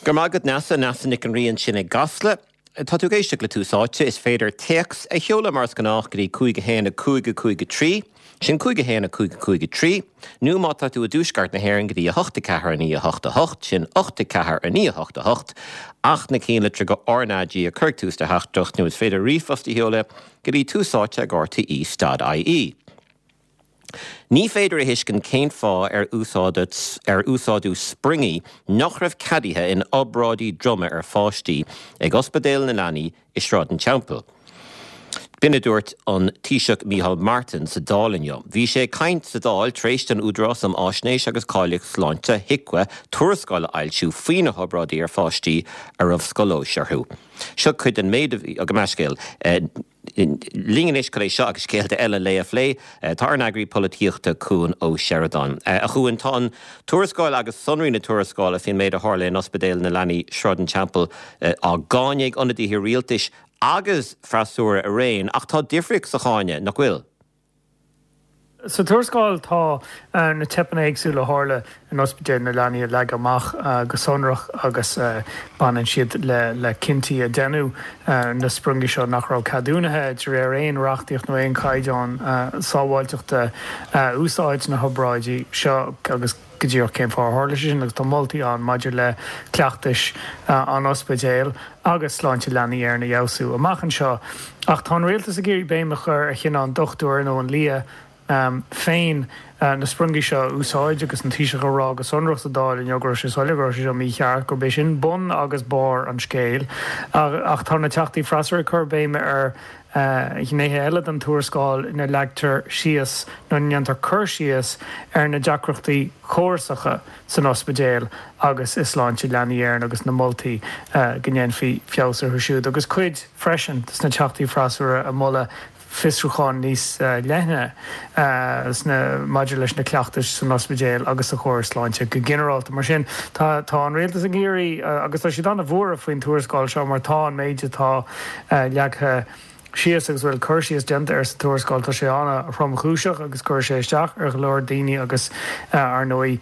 Go raibh maith agat Neasa, Neasa Nic an Rí ansin i gCasla. Tá tú ag éisteacht le Tús Áite. Is féidir téacs a sheoladh mar is gnách go dtí 5 1 5 5 3, sin 5 1 5 5 3, nó má tá tú i dtuaisceart na hÉireann go dtí 8 4 9 8 8, sin 8 4 9 8 8, ach na cinnlitreacha RnaG a chur ag tús do theachtaireacht nó is féidir ríomhphost a sheoladh go dtí túsáite ag rte stad ie. Ní féidir a thuiscint cén fáth ar úsáideadh ar úsáideadh spriongaí nach raibh ceadaithe in obráidí droma ar pháistí ag Ospidéal na Leanaí i Sráid an Teampaill. B'in a dúirt an Taoiseach Micheál Martin sa Dáil inniu. Bhí sé ag caint sa Dáil tar éis don Údarás um Fháisnéis agus Cáilíocht Sláinte, HIQA, tuarascáil a fhoilsiú faoi na hobráidí ar pháistí a raibh scolóis orthu. Seo cuid den méid a bhí, gabh mo leithscéal. Linn anois chun é seo agus scéalta eile an lae a phlé, tá ár n-eagraí polaitíochta Cuan Ó Seireadáin. A Chuain, tá an tuarascáil agus sonraí na tuarascála faoin méid a tharla in Ospidéal na Leanaí, Sráid an Teampaill, á gcáineadh ag ionadaithe rialtais agus freasúra araon, ach tá difríocht sa cháineadh, nach bhfuil? Sa tuarascáil tá na teipeanna éagsúla a tharla in Ospidéal na Leanaí leagtha amach go sonrach agus baineann siad le cinntí a deineadh, na spriongaí seo nach raibh ceadúnaithe de réir aon reachtaíocht nó aon chaighdeán sábháilteachta a úsáid sna hobráidí seo agus go díreach cén fáth ar tharla sé sin agus tá moltaí ann maidir le cleachtais an ospidéil agus sláinte leanaí Éireann a fheabhsú amach anseo. Ach tá an rialtas ag iarraidh béim a chur ar chinneadh an dochtúir nó an lia féin na spriongaí seo a úsáid agus an Taoiseach ag rá go sonrach sa Dáil inniu go raibh sé soiléir go raibh sé seo mícheart, gurb é sin bun agus barr an scéil. Ach tá na teachtaí freasúra ag cur béime ar ghnéithe eile den tuarascáil ina leagtar síos nó ina ndéantar cur síos ar na deacrachtaí córasacha san ospidéal agus i Sláinte Leanaí Éireann agus na moltaí go ndéanfaí feabhas orthu siúd agus cuid freisin de na teachtaí freasúra ag moladh fiosrúchán níos leithne sna maidir leis na cleachtais san ospidéal agus sa chóras sláinte go ginearálta. Mar sin, tá tá an rialtas ag iarraidh agus tá siad an-bhuartha faoin tuarascáil seo mar tá an méid atá leagtha síos agus a bhfuil cur síos déanta air sa tuarascáil, tá sé an-thromchúiseach agus cuirfidh sé isteach ar go leor daoine agus, ar ndóigh,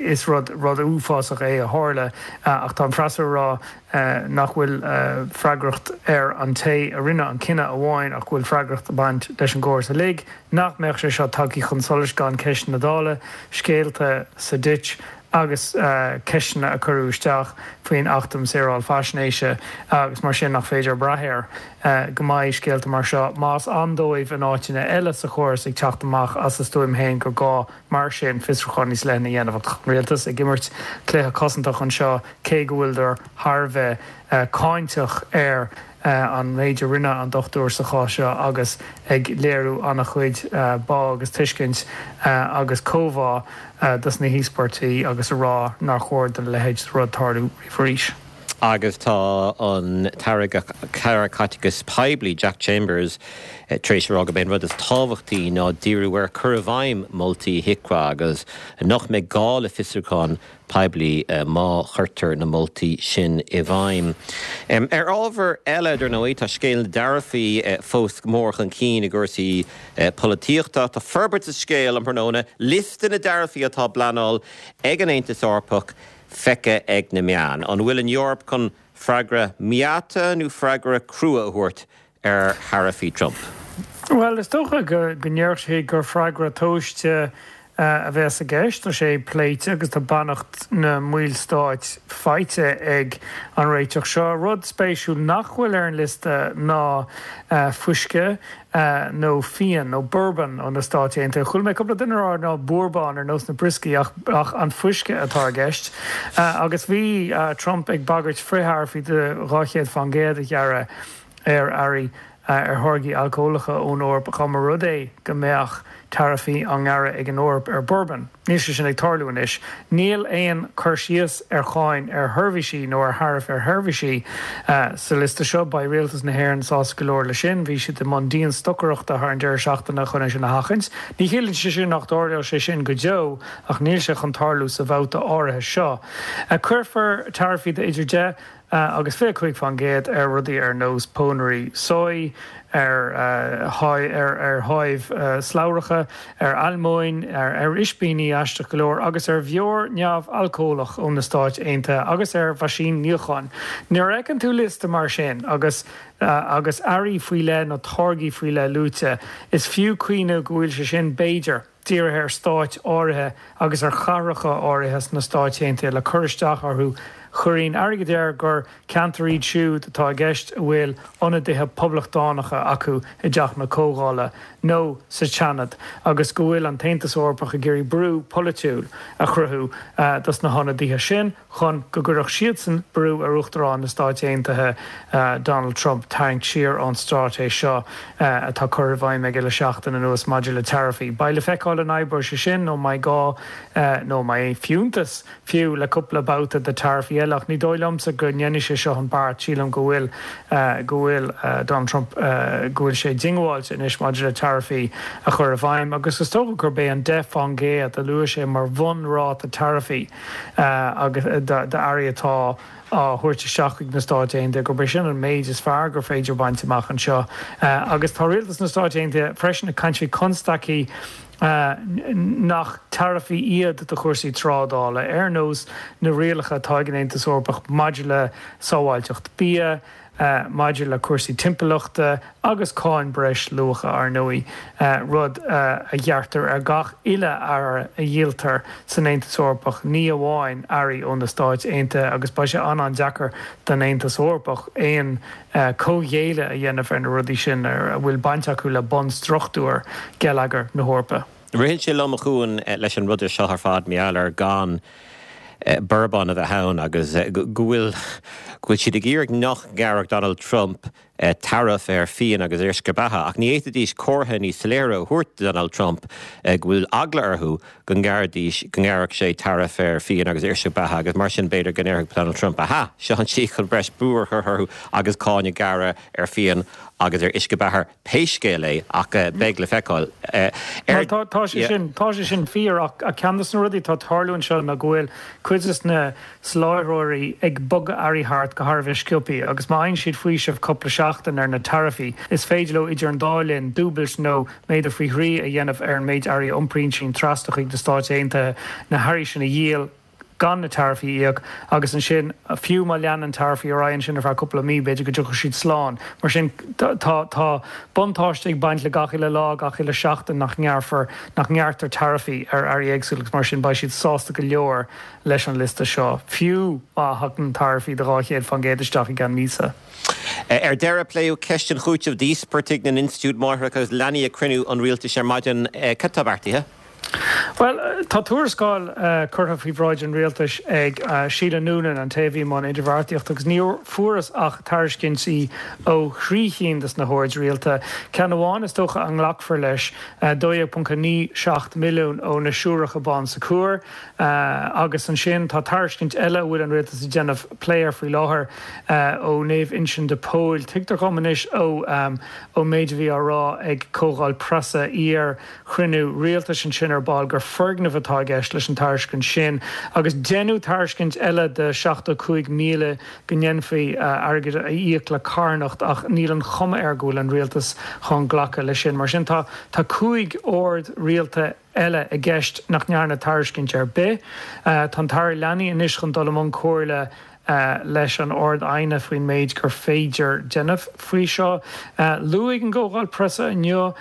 is rud rud uafásach é a tharla. Ach tá an freasúra ag rá nach bhfuil freagracht ar an té a rinne an cinneadh amháin ach go bhfuil freagracht ag baint leis an gcóras uilig, nach mbeadh sé seo tagtha chun solais gan ceisteanna Dála, scéalta sa Ditch. agus ceisteanna a cuireadh isteach faoin Acht um Shaoráil Faisnéise agus mar sin nach féidir brath air go mbeidh scéalta mar seo, más ann dóibh in áiteanna eile sa chóras, ag teacht amach as a stuaim féin gur gá mar sin fiosrúchán níos leithne a dhéanamh. Ach tá an rialtas ag imirt cluiche cosantach anseo cé go bhfuileadar thar a bheith cáinteach ar an méid a rinne an dochtúir sa chás seo agus ag léiriú an-chuid bá agus tuiscint agus comhbhá dos na híospartaigh agus a rá nár chóir don leithéid de rud tarlú riamh arís. Agus tá an tAire Caiteachais Poiblí, Jack Chambers, tar éis a rá gurb é an rud is tábhachtaí ná díriú ar chur i bhfeidhm moltaí HIQA agus nach mbeidh gá le fiosrúchán poiblí má chuirtear na moltaí sin i bhfeidhm. Ar ábhar eile, dar ndóigh, tá scéal na dtaraifí fós go mór chun cinn i gcúrsaí polaitíochta. Tá forbairt sa scéal um thráthnóna, liosta na dtaraifí atá á bpleanáil ag an Aontas Eorpach feicthe ag na meáin. An bhfuil an Eoraip chun freagra meáite nó freagra crua a thabhairt ar tharaifí Trump? Bhuel, is dócha go ndéarfadh sé gur freagra tomhaiste a bheas i gceist. Tá sé pléite agus tá beannacht na mballstát faighte ag an réiteach seo. Rud spéisiúil nach bhfuil ar an liosta ná fuisce nó fíon nó bourbon ó na Stáit Aontaithe. Chuala mé cúpla duine ag rá ná búrbán ar nós na brioscaí ach an fuisce atá i gceist. Agus bhí Trump ag bagairt frith-tharaifí de 200% a ghearradh ar earraí ar tháirgí alcólacha ón Eoraip dá mba rud é go mbeadh taraifí á ngearradh ag an Eoraip ar bourbon. Níl sé sin ag tarlú anois. Níl aon cur síos ar cháin ar sheirbhísí nó ar tharaif ar sheirbhísí sa liosta seo. Beidh rialtas na hÉireann sásta go leor leis sin. Bhí siad i mbun dian-stocaireachta thar an deireadh seachtaine chun é sin a sheachaint. Ní chiallaíonn sé sin nach dtarlóidh sé sin go deo ach níl sé chun tarlú sa bhabhta áirithe seo. Cuirfear taraifí de idir 10 agus 25% ar rudaí ar nós pónairí soy. ar ar tháimh slabhracha, ar almóinn, ar ispíní, aisteach go leor, agus ar bheoir neamh-alcólach ó na Stáit Aontaithe agus ar mheaisín níocháin. Nuair a fheiceann tú liosta mar sin agus agus earraí faoi leith nó táirgí faoi leith luaite, is fiú cuimhneamh go bhfuil sé sin, b'fhéidir, dírithe ar stáit áirithe agus ar chathracha áirithe sna Stáit Aontaithe le cur isteach orthu. Chuirfinn airgead air gur ceantair iad siúd atá i gceist a bhfuil ionadaithe poblachtánacha acu i dTeach na Comhdhála nó sa tSeanad agus go bhfuil an tAontas Eorpach ag iarraidh brú polaitiúil a chruthú dos na hionadaithe sin. chun go gcuirfeadh siadsan brú ar Uachtarán na Stáit Aontaithe Donald Trump tarraingt siar ón straitéis seo atá curtha i bhfeidhm aige le seachtain anuas maidir le taraifí. Beidh le feiceáil an oibreoidh sé sin nó an mbeidh gá nó an mbeidh fiúntas fiú le cúpla babhta de taraifí eile ach ní dóigh liomsa go ndéanfaidh sé seo an beart. Sílim go bhfuil go bhfuil Donald Trump go bhfuil sé diongbháilte anois maidir le taraifí a chur i bhfeidhm agus is dócha gurb é an 10% a luaigh sé mar bhunráta taraifí agus d'earraí atá á thabhairt isteach chuig na Stáit Aontaithe, gurb é sin an méid is fearr gur féidir baint amach anseo. Agus tá rialtas na Stáit Aontaithe freisin ag caint faoi constaicí nach taraifí iad do chúrsaí trádála, ar nós na rialacha atá ag an Aontas Eorpach maidir le sábháilteacht bia, maidir le cúrsaí timpeallachta agus cáin breis luacha, ar ndóigh, rud a ghearrtar ar gach uile earra a dhíoltar san Aontas Eorpach, ní amháin earraí ó na Stáit Aontaithe, agus beidh sé an-an-deacair don Aontas Eorpach aon comhghéilleadh a dhéanamh ar na rudaí sin a bhfuil baint acu le bunstruchtúr geilleagar na hEorpa. Ritheann sé liom, a Chuain, leis an rud seo ar fad, mar gheall ar gan bourbon a bheith ann agus go bhfuil, go bhfuil siad ag iarraidh nach ngearrfadh Donald Trump taraif ar fíon agus uisce beatha ach ní fhéadfaidís comhartha níos soiléire a thabhairt do Donald Trump go bhfuil eagla orthu go ngearrfaidís, go ngearrfadh sé taraif ar fíon agus uisce beatha agus mar sin b'fhéidir go ndéarfadh Donald Trump aha, seo an tslí chun breis brú a chur orthu agus cáin a ghearradh ar fíon agus ar uisce beatha. Pé scéal é, ach beidh le feiceáil. Ar. Tá sé sin, tá sé sin fíor ach ceann de na rudaí atá ag tarlú anseo ná go bhfuil cuid de na soláthróirí ag bogadh earraí thart go thar a bheith sciobthaí agus má fhaigheann siad faoiseamh cúpla seachtain ar na taraifí is féidir leo idir an dá linn dúbailt nó méadú faoi thrí a dhéanamh ar an méid earraí a iompraíonn siad trasna chuig na Stáit Aontaithe, na hearraí sin a dhíol. gan na taraifí a íoc agus ansin fiú má leanann taraifí ar aghaidh ansin ar feadh cúpla mí, b'fhéidir go dtiocfadh siad slán. Mar sin tá tá buntáiste ag baint le gach uile lá, gach uile seachtain nach ngearrfar, nach ngearrtar taraifí ar earraí éagsúla agus mar sin beidh siad sásta go leor leis an liosta seo, fiú má thagann taraifí de 200% isteach i gceann míosa. Ar deireadh, pléadh ceist an chúitimh d'íospartaigh na n-institiúid máithreacha agus leanaí ag cruinniú an rialtais ar maidin. Cad tá beartaithe? Bhuel, tá tuarascáil curtha faoi bhráid an rialtais ag Sheila Noonan, an té a bhí i mbun idirbheartaíochta, agus níor fuarthas ach tairiscintí ó thrí chinn de na hoird rialta. Ceann amháin is dócha a nglacfar leis, 12.97 milliún ó na Siúracha Bon Secours, agus ansin tá tairiscint eile a bhfuil an rialtas ag déanamh plé air faoi láthair ó Naomh Uinseann de Pól. Tuigtear dhom anois ón méid a bhí á rá ag comhdháil preasa iar chruinniú rialtais ansin ar ball gur foirgneamh atá i gceist leis an tairiscint sin agus deineadh tairiscint eile de 75,000 go ndéanfaí airgead a íoc le carthanacht ach níl an chuma air go bhfuil an rialtas chun glacadh leis sin. Mar sin tá tá 5 ord rialta eile i gceist nach ndearna tairiscint ar bith. Tá an tAire Leanaí anois chun dul i mbun comhairle leis an Ard-Aighne faoin méid gur féidir déanamh faoi seo. Luaigh an gcomhdháil preasa inniu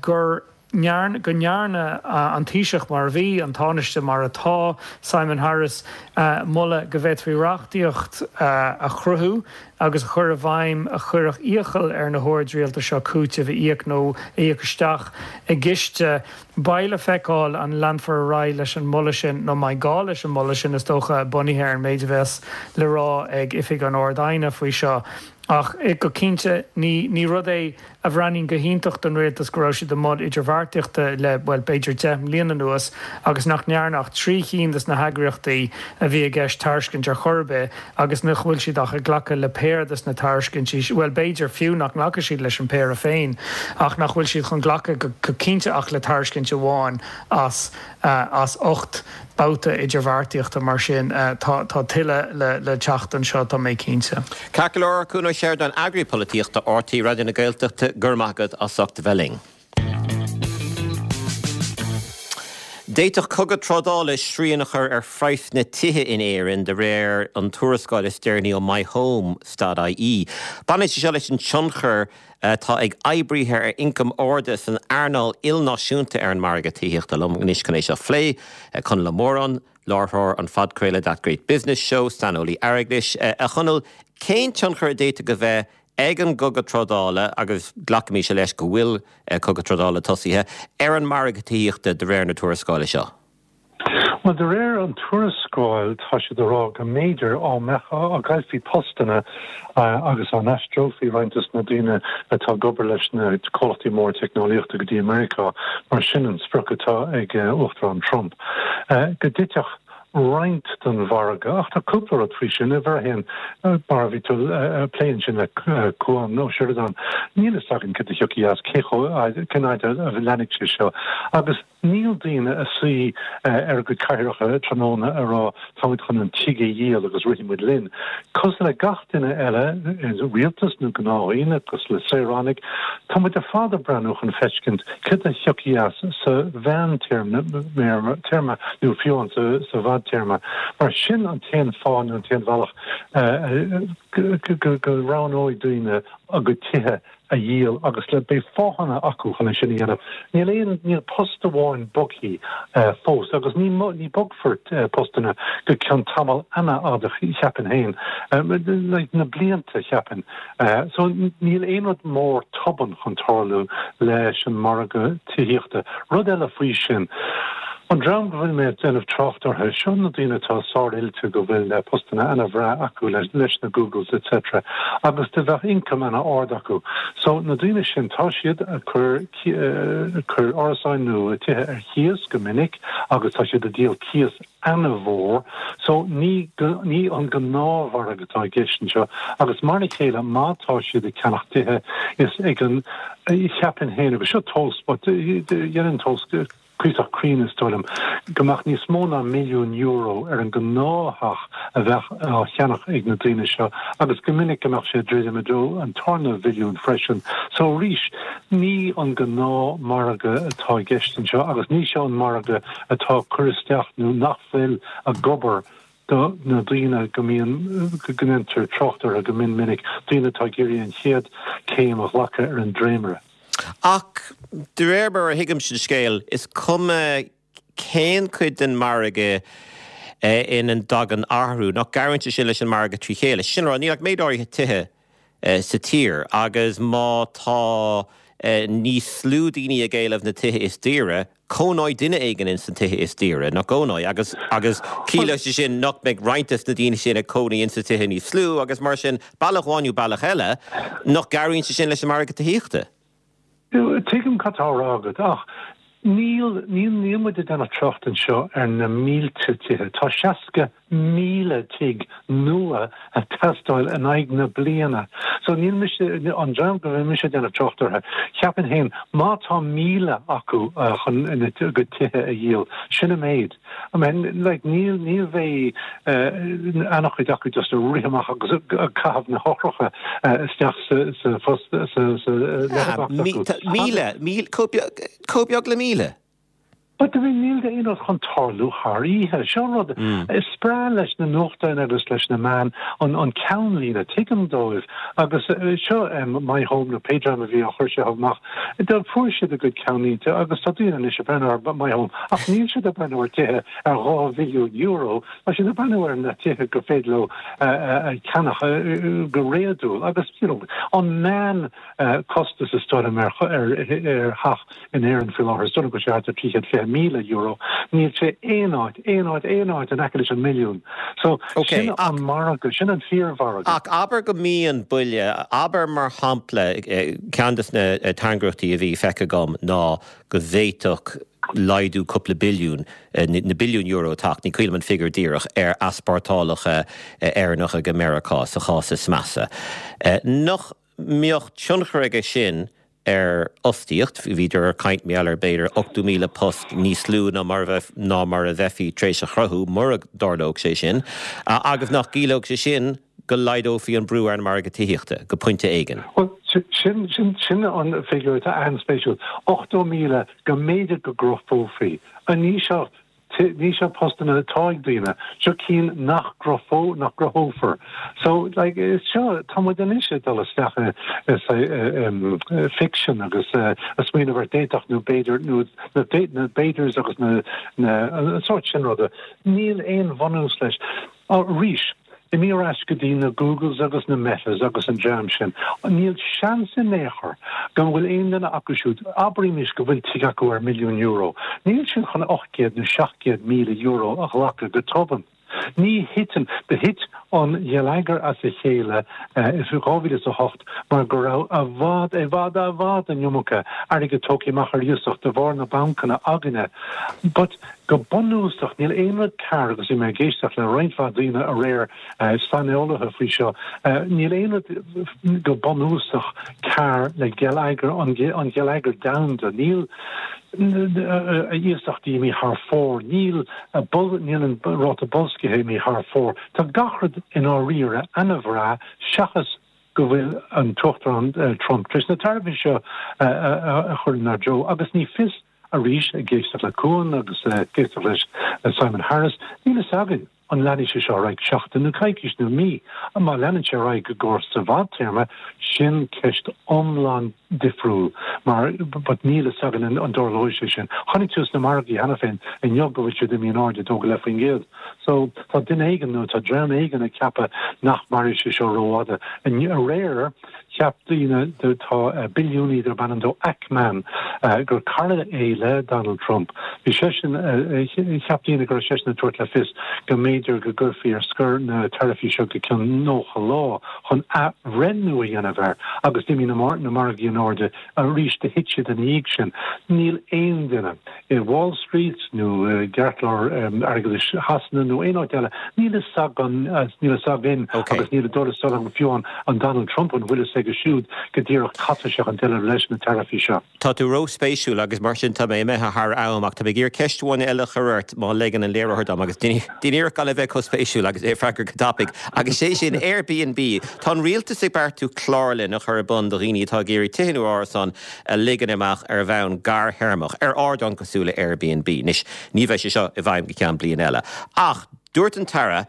gur go ndearna an Taoiseach mar a bhí, an Tánaiste mar atá, Simon Harris, moladh go bhféadfaí reachtaíocht a chruthú agus a chur i bhfeidhm a chuirfeadh iachall ar na hoird rialta seo cúiteamh a íoc nó a íoc isteach i gciste. Beidh le feiceáil an leanfar ar aghaidh leis an moladh sin nó an mbeidh gá leis an moladh sin, is dócha, bunaithe ar an méid a bheas le rá ag Oifig an Ard-Aighne faoi seo. Ach go cinnte, ní rud é a bhreathnaíonn go hiontach don rialtas go raibh siad i mbun idirbheartaíochta le, bhuel, b'fhéidir 10 mbliana anuas agus nach ndearna ach 3 chinn de na heagraíochtaí a bhí i gceist tairiscint ar chor ar bith agus nach bhfuil siad ach ag glacadh le péire de na tairiscintí, bhuel, b'fhéidir fiú nach nglacfaidh siad leis an péire féin ach nach bhfuil siad chun glacadh go cinnte ach le tairiscint amháin as as 8 babhta idirbheartaíochta, mar sin tá tuilleadh le teacht anseo, tá mé cinnte. Ceart go leor, Cuan Ó Seireadáin, Eagraí Polaitíochta RTÉ Raidió na Gaeltachta. Tithíochta, go raibh maith agat as ucht a bheith linn. D'fhéadfadh cogadh trádála srian a chur ar phraghsanna tithe in Éirinn, de réir an tuarascáil is deireanaí ó MyHome.ie. Baineann sé seo leis an tionchar atá ag oibrithe ar ioncaim arda san earnáil ilnáisiúnta ar an margadh tithíochta. Liom anois chun é seo a phlé, Conall Ó Móráin, láithreoir an phodchraoladh That Great Business Show, saineolaí airgeadais. A Chonaill, cén tionchar a d'fhéadfadh a bheith ag an gcogadh trádála, agus glacaimis leis go bhfuil cogadh trádála tosaithe, ar an margadh tithíochta de réir na tuarascála seo? Bhuel, de réir an tuarascáil, tá siad ag rá go mb'fhéidir á mbeadh, á gcaillfí postanna agus á n-aistreofaí roinnt de na daoine atá ag obair leis na comhlachtaí móra teicneolaíochta go dtí Meiriceá, mar sin an sprioc atá ag Uachtarán Trump, go dtitfeadh roinnt den mhargadh. Ach tá cúpla rud faoi sin. Uimhir a haon, mar a bhí tú ag plé ansin le Cuan Ó Seireadáin, níl fhios againn cad a thiocfaidh as, cé chomh, cén fhaid a leanfaidh sé seo. Agus níl daoine ag suí ar a gcuid cathaoireacha tráthnóna ag rá táimid chun an tigh a dhíol agus rithfidh muid linn. Cosúil le gach duine eile, rialtas nó gnáthdhaoine, cosúil le saoránaigh, tá muid ar fad ag breathnú chun feiscint cad a thiocfaidh as sa mheántéarma nó fiú amháin sa bhfadtéarma, mar sin an t-aon fáth nó an t-aon bhealach go roghnóidh daoine a gcuid tithe a dhíol agus le beidh fáthanna acu chun é sin a dhéanamh. Níl aon, níl post amháin bogthaí fós agus ní, ní bogfar postanna go ceann tamall ana-fhada cheapfainn féin, like na blianta cheapfainn. So níl aon rud mór tobann chun tarlú leis an margadh tithíochta. Rud eile faoi sin, an dream go bhfuil mé ag déanamh trácht orthu, seo na daoine atá sár-oilte go bhfuil postanna ana-bhreá acu leis na Googles etc. Agus do bheadh income ana-ard acu. So na daoine sin, tá siad ag cur, cur árasáin nó tithe ar chíos go minic agus tá siad ag díol cíos ana-mhór. So ní, ní an gnáthmhargadh atá i gceist anseo agus mar a chéile má tá siad ag ceannach tithe is ag an, cheapfainn féin, agus seo tomhas but dhéanfainn tomhas cuíosach cruinn is dóigh liom, go mbeadh níos mó ná €1,000,000 ar an ngnáth-theach a bheadh á cheannach ag na daoine seo agus go minic go mbeadh sé ag druidim i dtreo an tarna mhilliún freisin. So arís, ní an gnáthmhargadh atá i gceist anseo agus ní seo an margadh atá ag cur isteach nó nach bhfuil ag obair do na daoine go mbíonn, go ndéantar trácht orthu go mion minic, daoine atá ag iarraidh an chéad céim a ghlacadh ar an dréimire. Ach de réir mar a thuigimse an scéal, is cuma cén cuid den mhargadh ina dtagann athrú, nach gcabhraíonn sé sin leis an margadh trí chéile. Sin le rá, níl ach méid áirithe tithe sa tír agus má tá níos lú daoine ag éileamh na tithe is daoire, cónóidh duine éigin ins na tithe is daoire, nach gcónóidh? Agus, agus ciallóidh sé sin nach mbeidh roinnt des na daoine sin ag cónaí ins na tithe níos lú agus mar sin, bealach amháin nó bealach eile, nach gcabhraíonn sé sin leis an margadh tithíochta? Tuigim cad tá á rá agat, ach níl, níl, níl muid ag déanamh trácht anseo ar na mílte tithe. Tá 60,000 tigh nua ag teastáil in aghaidh na bliana. So níl mise, an dream go bhfuil mise ag déanamh trácht orthu, cheapfainn féin, má tá 1,000 acu chun a gcuid tithe a dhíol, sin an méid. I mean, like, níl, ní bheidh an-chuid acu just ag rith amach agus ag caitheamh na heochracha isteach sa, sa phost, sa, sa letterbox acu. 1,000, chomh beag le 1,000. But I mean, níl aon rud chun tarlú thar oíche. Seo an rud, is breá leis na nuachtáin agus leis na meáin an, an ceannlíne, tuigim dóibh. Agus seo My Home nó pé dream a bhí á chur seo amach, do fuair siad a gcuid ceannlínte agus tá daoine anois ag breathnú ar My Home ach níl siad ag breathnú ar tithe ar €2 mhilliún, tá siad ag breathnú ar na tithe gur féidir leo a cheannach go réadúil agus you know an meán costas is dóigh liom ar ar theach in Éirinn faoi láthair, is dóigh liom go bhfuil sé thart ar €320,000. Níl sé aon áit, aon áit, aon áit in aice leis an milliún. So, sin an margadh, sin an fíormhargadh. Ach abair go mbíonn buille, abair mar shampla, ceann de na tairngreachtaí a bhí feicthe agam ná go bhféadfadh laghdú cúpla billiún, na billiúin euro teacht, ní cuimhin liom an figiúr díreach, ar easpórtálacha Éireannacha go Meiriceá sa chás is measa. Nach mbeadh tionchar aige sin ar fhostaíocht. Bhíodar ag caint mar gheall ar b'fhéidir 80,000 post níos lú ná mar ná mar a bheifí tar éis a chruthú mura dtarlódh sé sin agus nach gciallódh sé sin go laghdófaí an brú ar an margadh tithíochta, go pointe éigin. Bhuel, sin, sin, sin an figiúr atá an-spéisiúil. 80,000 go mb'fhéidir go gcruthófaí. Ní seo, ní seo postanna atá ag daoine, seo cinn nach gcruthó, nach gcruthófar. So, like, is seo, tá muid anois ag dul isteach i, i, fiction agus ag smaoineamh ar d'fhéadfadh nó b'fhéidir, nó na, na b'fhéidirs agus na, na, an sórt sin ruda. Níl aon bhunús leis. Arís, imigh ar ais go dtí na Googles agus na Metas agus an dream sin, níl seans in aon chor go bhfuil aon duine acu siúd, abraimis go bhfuil tigh acu ar €1,000,000, níl siad chun €800 nó €700,000 a ghlacadh go tobann. Ní thiteann, do thit an geilleagar as a chéile i 2008 mar go raibh i bhfad, i bhfad, i bhfad an iomarca airgead tógtha amach ar iasacht de bharr na bancanna againne. But. Go bunúsach, níl aon rud cearr, agus bhí mé ag éisteacht le roinnt mhaith daoine aréir, saineolaithe faoi seo, níl aon rud go bunúsach cearr le geilleagar, an geilleagar domhanda. Níl iasachtaí imithe thar fóir, níl níl an ráta boilscithe imithe thar fóir. Tá gach rud i ndáiríre ana-bhreá seachas go bhfuil an tUachtarán Trump tar éis na taraifí seo a chur inár dtreo agus ní fios Arís, ag éisteacht le Cuan agus ag éisteacht leis Simon Harris, níl fhios againn an leanfaidh sé seo ar aghaidh seachtain nó coicís nó mí. Má leanann sé ar aghaidh i gcomhair sa bhfadtéarma, sin ceist iomlán difriúil mar but níl fhios againn an dtarlóidh sé sin. Chonaic tú sna margaí cheana féin inniu go bhfuil siad imithe in airde 2.5%. So tá duine éigin nó tá dream éigin ag ceapadh nach mairfidh sé seo rófhada. Aréir, Cheap daoine, tá billiúnaí darb ainm dó Ackman, gur cara é le Donald Trump. Bhí seisean, cheap daoine go raibh seisean ag tabhairt le fios go mb'fhéidir go gcuirfí ar scor na taraifí seo go ceann 90 lá chun athbhreithniú a dhéanamh air agus d'imigh na margaí in airde arís, do thit siad ina dhiaidh sin. Níl aon duine. i Wall Street nó i gceartlár airgeadais Shasana nó aon áit eile, níl fhios againn, níl fhios againn agus níl a dul fhios agam fiú an Donald Trump an bhfuil fhios aige siúd go díreach cad tá sé chun déanamh leis na taraifí seo. Tá tú ró-spéisiúil agus mar sin tá mé imithe thar am ach tá mé ag iarraidh ceist amháin eile a chur ort má leigeann an léiritheoir dom agus déan iarracht gan a bheith chomh spéisiúil agus é a freagairt go tapaidh agus sé sin Airbnb. Tá an rialtas ag beartú clárlann a chur ar bun do dhaoine atá ag iarraidh tithe nó árasáin a ligean amach ar bhonn gearrthéarmach, ar ardán cosúil le Airbnb. Anois, ní bheidh sé seo i bhfeidhm go ceann bliain eile. Ach dúirt an tAire,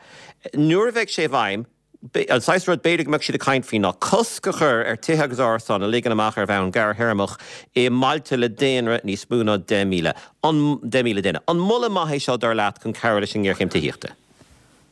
nuair a bheidh sé i bhfeidhm, an saghas rud b'fhéidir go mbeadh siad ag caint faoi ná cosc a chur ar tithe agus árasáin a ligean amach ar bhonn gearrthéarmach i mbailte le daonra níos mó ná 10,000, 10,000 duine. An moladh maith é seo, dar leat, chun cabhrú leis an ngéarchéim tithíochta?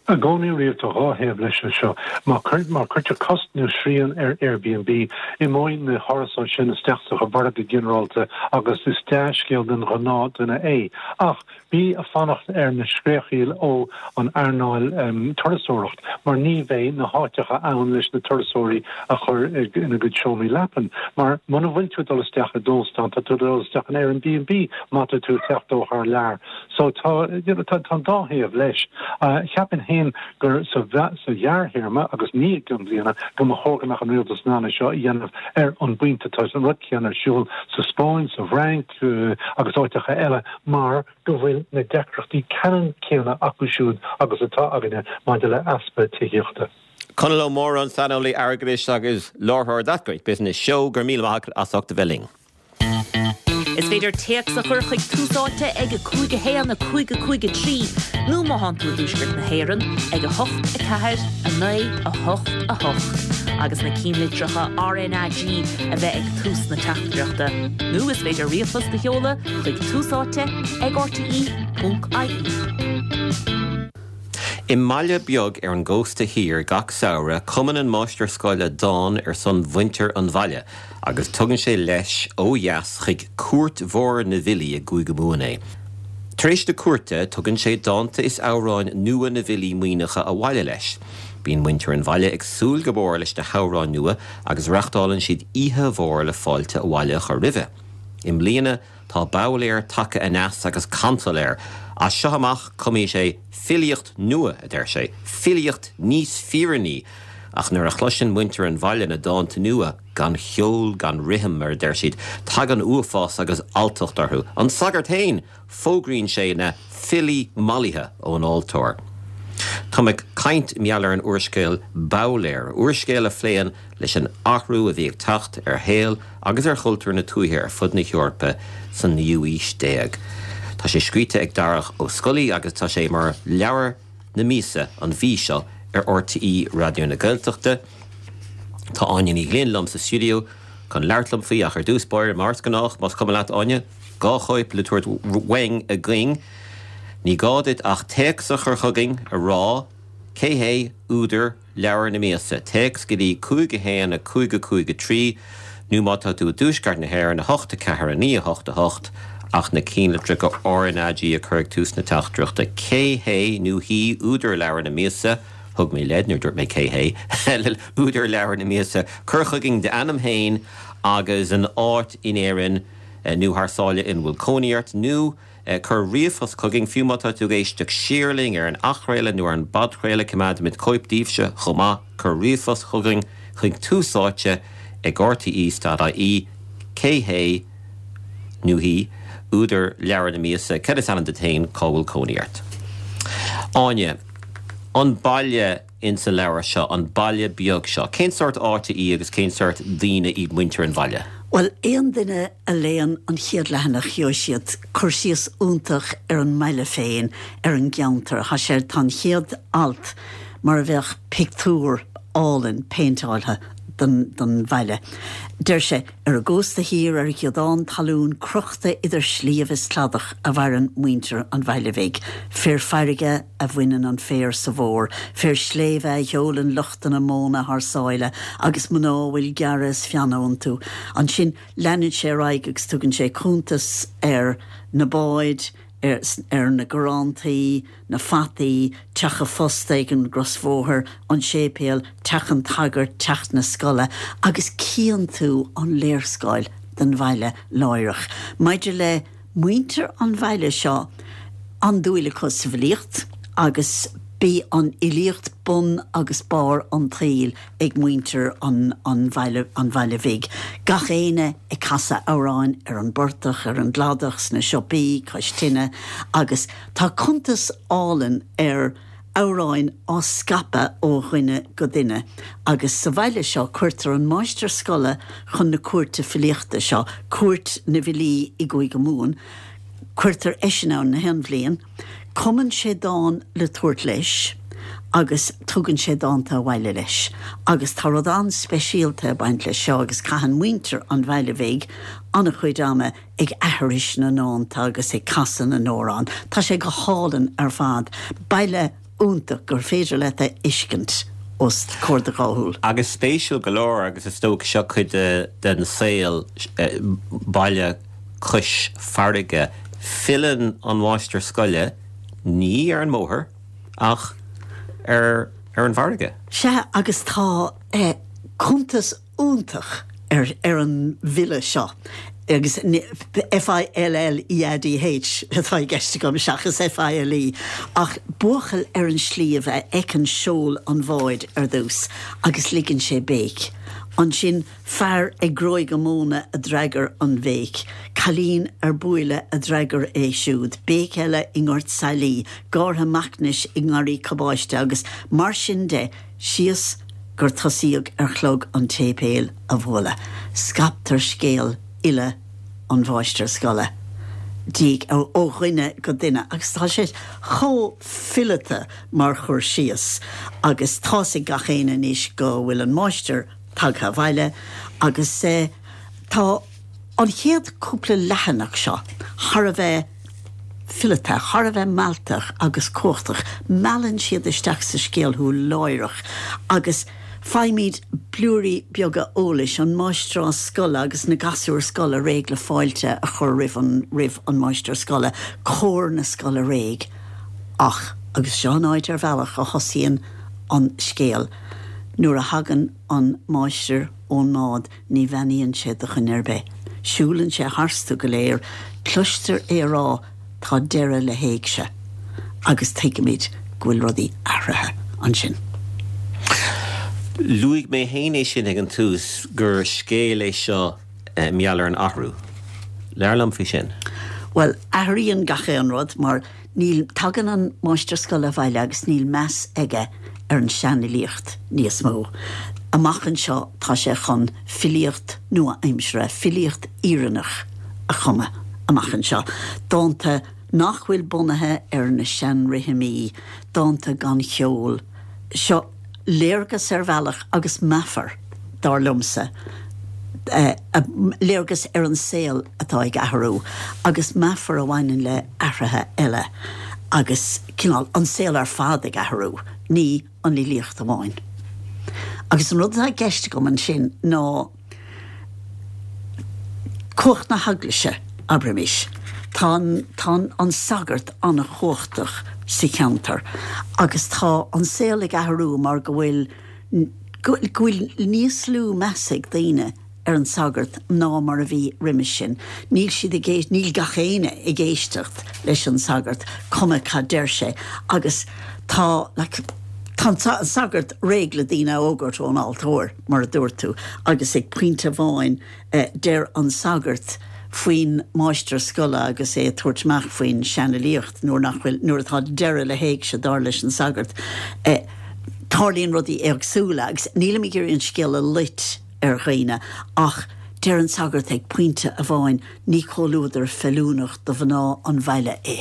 I gcónaí riamh tá dhá thaobh leis seo. Má cuirtear cosc nó srian ar Airbnb, imeoidh na hárasáin sin isteach sa mhargadh ginearálta agus is dea-scéal don ghnáth-duine é. Ach bí ag fanacht ar na scréachaíl ó an earnáil turasóireacht mar ní bheidh na háiteacha ann leis na turasóirí a chur ina gcuid seomraí leapan. Mar muna bhfuil tú ag dul isteach i d'óstán tá tú ag dul isteach in Airbnb má tá tú ag teacht ó thar lear. So tá, you know, tá, tá an dá thaobh leis. Cheapfainn féin gur sa, sa ghearrthéarma, agus ní i gcionn bliana, go mba chóir go mbeadh an rialtas in ann é seo a dhéanamh ar an bpointe. Tá an rud céanna ar siúl sa Spáinn, sa bhFrainc agus áiteacha eile mar go bhfuil na deacrachtaí ceannann céanna acu siúd agus atá againne maidir le easpa tithíochta. Conall Ó Móráin, saineolaí airgeadais agus láithreoir That Great Business Show, go raibh míle maith agat as ucht a bheith linn. Is féidir téacs a chur chuig Tús Áite ag 5 1 5 5 3 nó má thánn tú i dTuaisceart na hÉireann ag 8 4 9 8 8 agus na cinnlitreacha RnaG a bheith ag tús na teachtaireachta. Nó is féidir ríomhphost a sheoladh chuig Tús Áite ag rte.ie. I mbaile beag ar an gcósta thiar gach samhradh, cumann an máistir scoile dán ar son mhuintir an bhaile agus tugann sé leis ó dheas chuig Cúirt Mhór na bhFilí i gCúige Mumhan é. Tar éis na cúirte, tugann sé dánta is amhráin nua na bhfilí Muimhneacha abhaile leis. Bíonn muintir an bhaile ag súil go mór leis na hamhráin nua agus reachtálann siad oíche mhór le fáilte abhaile a chur roimhe. I mbliana, Tá Babhlaer tagtha aneas agus cantal air. As seo amach cumfaidh sé filíocht nua, a deir sé, filíocht níos fírinní. Ach nuair a chloiseann muintir an bhaile na dánta nua, gan cheol gan rithim, mar a deir siad, tagann uafás agus alltacht orthu. An sagart féin, fógraíonn sé na filí mallaithe ón altóir. Tá mé ag caint mar gheall ar an úrscéal Babhlaer, úrscéal a phléann leis an athrú a bhí ag teacht ar shaol agus ar chultúr na tuaithe ar fud na hEorpa san naoú aois déag. Tá sé scríte ag Darach Ó Scolaí agus tá sé mar leabhar na míosa an mhí seo ar RTÉ Raidió na Gaeltachta. Tá Áine Ní Ghlinn liom sa stiúideo chun labhairt liom faoi ach ar dtús báire, mar is gnách, más cuma leat Áine, 2 chóip le tabhairt uainn againn. Ní gá duit ach téacs a chur chugainn a rá cé hé údar leabhar na míosa. Téacs go dtí 5 1 5 5 3 nó má tá tú i dTuaisceart na hÉireann 8 4 9 8 8 ach na cinnlitreacha RnaG a chur ag tús na teachtaireachta. Cé hé nó hí údar leabhar na míosa? Thug mé leid nuair a dúirt mé cé hé údar leabhar na míosa. Cuir chugainn d'ainm féin agus an áit in Éirinn nó thar sáile ina bhfuil cónaí ort nó Cuir ríomhphost chugainn, fiú má tá tú ag éisteacht siar linn ar an athchraoladh nó ar an bpodchraoladh, coimeádaimid cóip daoibhse chomh maith. Cuir ríomhphost chugainn chuig Tús Áite ag rte.ie Cé hé nó hí údar leabhar na míosa? Cad is ainm duit féin? Cá bhfuil cónaí ort? Áine, An baile insa leabhar seo, an baile beag seo. Cén sórt áite í agus cén sórt daoine iad muintir an bhaile? Bhuel, aon duine a léann an chéad leathanach gheobhaidh siad cur síos iontach ar an mbaile féin, ar an gceantar. Tá sé, tá an chéad alt mar a bheadh pictiúr álainn péinteáilte den, den bhaile. Deir sé. Ar an gcósta thiar, ar ghiodán talún crochta idir sliabh is cladach a mhaireann muintir an bhaile bhig. Fir farraige a bhaineann an féar sa bhfómhar, fir sléibhe a sheolann luchtanna móna thar sáile agus mná a bhfuil gearradh is feannadh iontu. Ansin leanann sé ar aghaidh agus tugann sé cuntas ar na báid, ar na garrantaí, na fataí, teach a' phosta ag an gcrosbhóthar, an séipéal, teach an tsagairt, teach na scoile, agus cíonn tú an léarscáil den bhaile láithreach. Maidir le muintir an bhaile seo, an-dúil acu sa bhfilíocht agus b'í an fhilíocht bun agus barr an tsaoil ag muintir an bhaile, an bhaile bhig. Gach éinne ag casadh amhráin ar an bportach, ar an gcladach, sna siopaí, cois tine agus tá cuntas álainn ar amhráin á scaipeadh ó dhuine go duine agus sa bhaile seo cuirtear an máistir scoile chun na cúirte filíochta seo, Cúirt na bhFilí i gCúige Mumhan, cuirtear eisean ann na haon bhliain. Cumann sé dán le tabhairt leis agus tugann sé dánta abhaile leis. Agus tá rud an-speisialta ag baint leis seo agus caitheann muintir an bhaile bhig an-chuid ama ag aithris na ndánta agus ag casadh na n-amhrán. Tá sé go hálainn ar fad. Baile iontach gur féidir leat a fheiscint os comhair do dhá shúl. Agus spéisiúil go leor, agus is dócha seo cuid den saol, baile cois farraige, filleann an máistir scoile ní ar an mbóthar ach ar an bhfarraige. Sea, agus tá cuntas iontach ar ar an bhfilleadh seo agus F-I-L-L-E-A-D-H atá i gceist agam seachas F-I-L-E ach buachaill ar an sliabh a fheiceann seol an bháid ar dtús agus ligeann sé béic. Ansin fear ag gróigeadh móna a d'fhreagair an bhéic, cailín ar buaile a d'fhreagair é siúd, béic eile i ngort sailí, gártha macnais i ngarraí cabáiste agus mar sin de síos gur tosaíodh ar chlog an tséipéil a bhualadh. Scaiptear scéal fhilleadh an mháistir scoile diaidh ó dhuine go duine agus tá sé chomh fileata mar chur síos agus tá's ag gach éinne anois go bhfuil an máistir tagtha abhaile agus tá an chéad cúpla leathanach seo thar a bheith fileata, thar a bheith mealltach agus cumhachtach. Meallann siad isteach sa scéal thú láithreach agus faighimid blúirí beaga eolais, an máistreás scoile agus na gasúir scoile réidh le fáilte a chur roimh an roimh an máistir scoile, cór na scoile réidh. Ach, agus seo an áit ar bhealach a thosaíonn an scéal, nuair a thagann an máistir ón mbád, Ní bheannaíonn sé do dhuine ar bith. Siúlann sé tharstu go léir. Cloistear é a rá, Tá deireadh le héigse. Agus tuigimid go bhfuil rudaí athraithe ansin. Luaigh mé féin é sin ag an tús, gur scéal é seo mar gheall ar an athrú. Labhair liom faoi sin. Bhuel, athraíonn gach aon rud mar níl, tagann an máistir scoile abhaile agus níl meas aige ar an seanfhilíocht níos mó. Amach anseo tá sé chun filíocht nua-aimseartha, filíocht fhírinneach a chumadh amach anseo, dánta nach bhfuil bunaithe ar na seanrithimí, dánta gan cheol. Seo léargas ar bhealach agus meafar, dar liomsa, léargas ar an saol atá ag athrú agus meafar a bhaineann le athruithe eile agus cineál an saol ar fad ag athrú, ní an fhilíocht amháin. Agus an rud atá i gceist agam ansin ná cumhacht na heaglaise, abraimis. Tá an, tá an sagart an-chumhachtach sa cheantar agus tá an saol ag athrú mar go bhfuil, go bhfuil níos lú meas ag daoine ar an sagart ná mar a bhí roimis sin. Níl siad ag, níl gach éinne ag éisteacht leis an sagart, cuma cad deir sé. Agus tá, like, tá an sagart réidh le daoine a fhógairt ón altóir, mar a dúirt tú, agus ag pointe amháin deir an sagart faoin máistir scoile agus é ag tabhairt amach faoin seanfhilíocht nuair nach bhfuil, nuair atá deireadh le héigse, dar leis an sagart, tarlaíonn rudaí éagsúla agus nílim ag iarraidh an scéal a loit ar dhaoine ach deir an sagart ag pointe amháin ní comhluadar feiliúnach do mhná an bhaile é